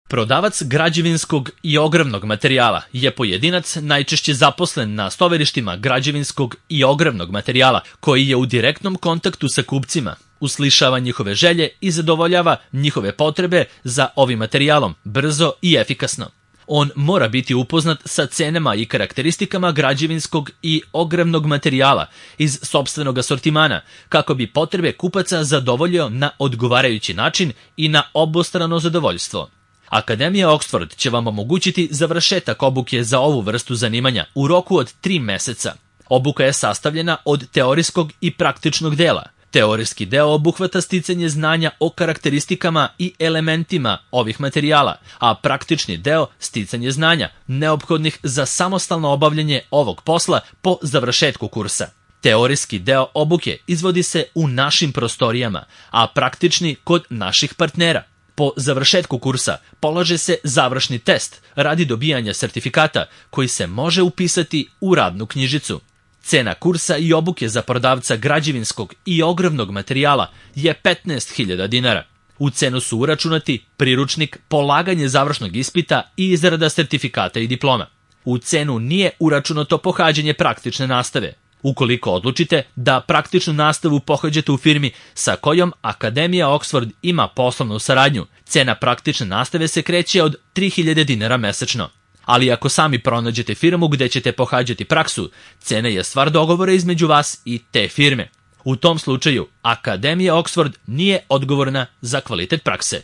Prodavac građevinskog i ogravnog materijala je pojedinac najčešće zaposlen na stovarištima građevinskog i ogravnog materijala, koji je u direktnom kontaktu sa kupcima, uslišava njihove želje i zadovoljava njihove potrebe za ovim materijalom brzo i efikasno. On mora biti upoznat sa cenama i karakteristikama građevinskog i ogravnog materijala iz sopstvenog asortimana, kako bi potrebe kupaca zadovoljio na odgovarajući način i na obostrano zadovoljstvo. Akademija Oxford će vam omogućiti završetak obuke za ovu vrstu zanimanja u roku od 3 meseca. Obuka je sastavljena od teorijskog i praktičnog dela. Teorijski deo obuhvata sticanje znanja o karakteristikama i elementima ovih materijala, a praktični deo sticanje znanja neophodnih za samostalno obavljanje ovog posla po završetku kursa. Teorijski deo obuke izvodi se u našim prostorijama, a praktični kod naših partnera. Po završetku kursa polaže se završni test radi dobijanja sertifikata koji se može upisati u radnu knjižicu. Cena kursa i obuke za prodavca građevinskog i ogravnog materijala je 15.000 dinara. U cenu su uračunati priručnik, polaganje završnog ispita i izrada sertifikata i diploma. U cenu nije uračunato pohađanje praktične nastave. Ukoliko odlučite da praktičnu nastavu pohađate u firmi sa kojom Akademija Oxford ima poslovnu saradnju, cena praktične nastave se kreće od 3.000 dinara mesečno. Ali ako sami pronađete firmu gde ćete pohađati praksu, cena je stvar dogovora između vas i te firme. U tom slučaju, Akademija Oxford nije odgovorna za kvalitet prakse.